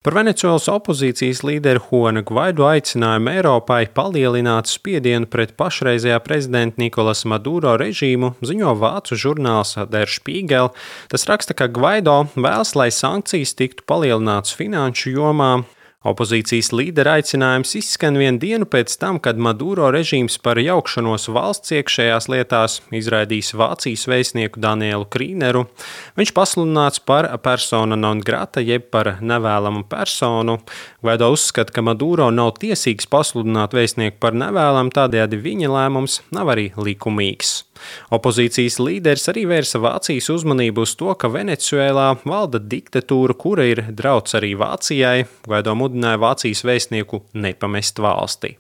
Par Venecuēlas opozīcijas līderi Juanu Gvaido aicinājumu Eiropai palielināt spiedienu pret pašreizējā prezidenta Nikolasa Maduro režīmu ziņo vācu žurnāls Der Spiegel. Tas raksta, ka Gvaido vēlas, lai sankcijas tiktu palielinātas finanšu jomā. Opozīcijas līdera aicinājums izskan vienu dienu pēc tam, kad Maduro režīms par jaukšanos valsts iekšējās lietās izraidījis Vācijas vēstnieku Danielu Krīneru. Viņš pasludināts par persona non grata, jeb par nevēlamu personu. Gvaido uzskata, ka Maduro nav tiesīgs pasludināt vēstnieku par nevēlamu, tādējādi viņa lēmums nav arī likumīgs. Opozīcijas līderis arī vērsa Vācijas uzmanību uz to, ka Venecuēlā valda diktatūra, kura ir drauds arī Vācijai. Gvaido mudināja Vācijas vēstnieku nepamest valsti.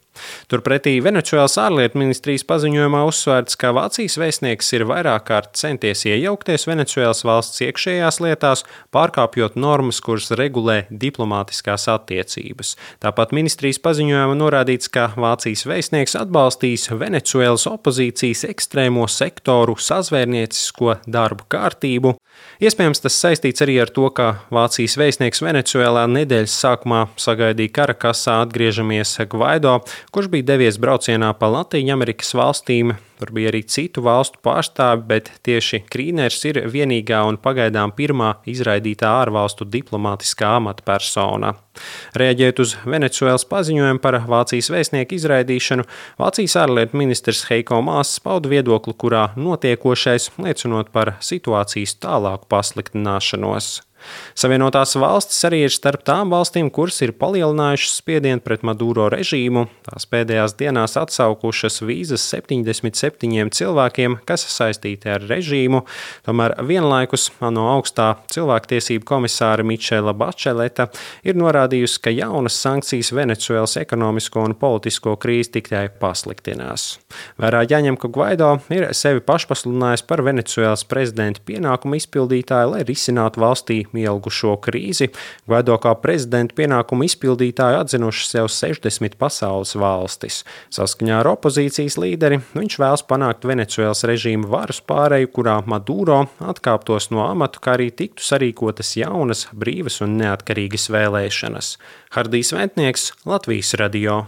Turpretī Venecuēlas ārlietu ministrijas paziņojumā uzsvērts, ka Vācijas vēstnieks ir vairāk kārt centies iejaukties Venecuēlas valsts iekšējās lietās, pārkāpjot normas, kuras regulē diplomātiskās attiecības. Tāpat ministrijas paziņojumā norādīts, ka Vācijas vēstnieks atbalstīs Venecuēlas opozīcijas ekstrēmo sektoru sazvērniecisko darbu kārtību. Iespējams, tas saistīts arī ar to, ka Vācijas vēstnieks Venecuēlā nedēļas sākumā sagaidīja Karakasā atgriežamies Gvaido, kurš bija devies braucienā pa Latīņamerikas valstīm. Tur bija arī citu valstu pārstāvi, bet tieši Krīners ir vienīgā un pagaidām pirmā izraidītā ārvalstu diplomātiskā amatpersona. Reaģējot uz Venecuēlas paziņojumu par Vācijas vēstnieku izraidīšanu, Vācijas ārlietu ministrs Heiko Maas pauda viedokli, kurā notiekošais liecinot par situācijas tālāku pasliktināšanos. Savienotās valstis arī ir starp tām valstīm, kuras ir palielinājušas spiedienu pret Maduro režīmu. Tās pēdējās dienās atsaukušas vīzas 77 cilvēkiem, kas saistīti ar režīmu. Tomēr vienlaikus ANO augstā cilvēktiesību komisāra Michela Bačeleta ir norādījusi, ka jaunas sankcijas Venecuēlas ekonomisko un politisko krīzi tikai pasliktinās. Vērā jāņem, ka Gvaido ir sevi pašpasludinājis par Venecuēlas prezidenta pienākumu izpildītāju, lai risinātu valstī ilgušo krīzi. Gvaido kā prezidenta pienākumu izpildītāju atzinuši sev 60 pasaules valstis. Saskaņā ar opozīcijas līderi viņš vēlas panākt Venecuēlas režīmu varas pāreju, kurā Maduro atkāptos no amata, kā arī tiktu sarīkotas jaunas, brīvas un neatkarīgas vēlēšanas. Hardijs Ventnieks, Latvijas radio.